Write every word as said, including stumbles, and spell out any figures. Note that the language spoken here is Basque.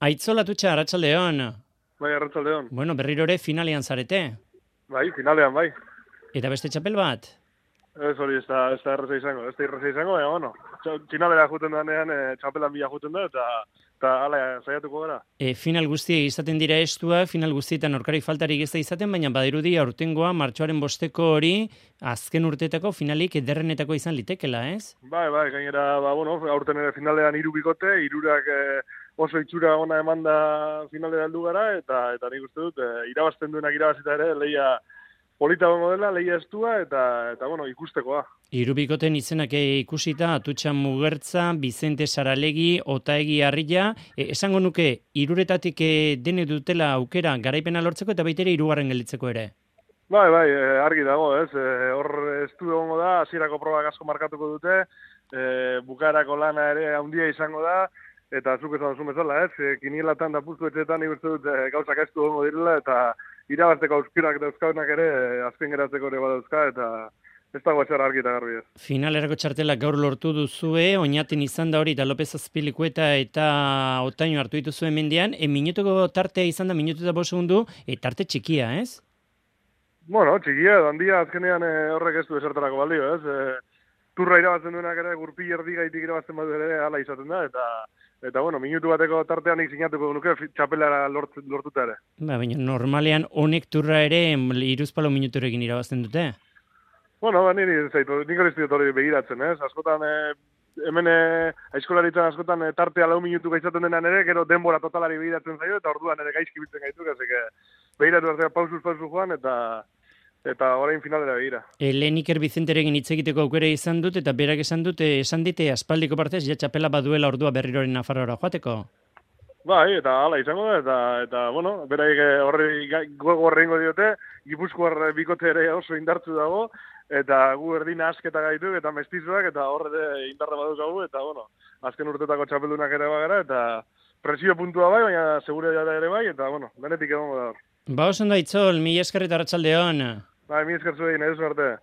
Aitzol Atutxa, arratsaldeon. Bai, arratsaldeon. Bueno, berriro ere finalean zarete. Bai, finalean, bai. Eta beste txapel bat? Ez hori, ez da, ez da erreza izango, ez da erreza izango, baina, bueno, txa- finalera juten danean, e, txapelan bila juten da, eta, eta ala, saiatuko gara. E, final guztiek izaten dira estua, final guztietan aurkari faltarik ez da izaten, baina badirudi aurtengoa martxoaren bosteko hori azken urteetako finalik ederrenetako izan litekela, ez? Bai, bai, gainera, ba, bueno, aurten ere finalean hiru bikote, hirurak e, oso itxura ona eman da finalera heldu gara, eta, eta nik uste dut, e, irabazten duenak irabazita ere, lehia polita gongo dela, lehia estua, eta, eta bueno, ikustekoa. Irubikoten izenak ikusita, Atutxa Mugertza, Bizente Saralegi, Otaegi Harria, e, esango nuke, iruretatik e, dene dutela aukera garaipena lortzeko eta baitere hirugarren gelditzeko ere. Bai, bai, e, argi dago, ez, e, hor estu egongo da, hasierako probak asko markatuko dute, e, bukaerako lana ere handia izango da, eta zuk esan duzu bezala, ez, e, kinielatan da puztu etxetan nik uste dut e, gauzak estu egongo direla, eta irabazteko auskirak dauzkaunak ere, e, azken geratzeko ere badauzka, eta ez dago etxar argi eta garbi ez. Finalerako txartelak gaur lortu duzue, oinaten izan da hori eta López Azpilikueta eta Otaino hartu dituzue mendian, e, minutuko tartea izan da, minutu eta bost segundu, e, tarte txikia, ez? Bueno, txikia, handia azkenean e, horrek ez du esertarako balio, ez, e, turra irabazten duenak ere, gurpi erdi gaitik irabazten badu ere, hala izaten da, eta Eta, bueno, minutu bateko tartean nik sinatuko nuke txapelara lort, lortuta ere. Ba, baina normalean honek turra ere hiruzpalau minuturekin irabazten dute. Bueno, ba, niri zaitu, nik hori zitot hori begiratzen, ez? Askotan, e, hemen e, aizkolaritzen askotan e, tartea lau minutu gaitzaten denan ere, gero denbora totalari begiratzen zaio, eta orduan ere gaizki biltzen gaitu, ez que begiratu artea pausuz pausu joan, eta eta orain finalera begira. E, lehen Iker Bizenterekin hitz egiteko aukera izan dut, eta berak esan dute, esan dite aspaldiko partez, ja txapela baduela ordua berriroren Nafarroara joateko. Bai, eta hala izango da, eta, eta bueno, beraik horri gogo horrengo diote, Gipuzkoar bikote ere oso indartzu dago, eta gu erdina asketa gaitu, eta mestizuak, eta horre indarra badukagu, eta bueno, azken urtetako txapeldunak ere bagara, eta presio puntua bai, baina segure ere bai, eta bueno, benetik egongo da hor. Ba, oso ondo Aitzol, mila esker eta arratsaldeon. Bai, mi esker zuen, ez arte.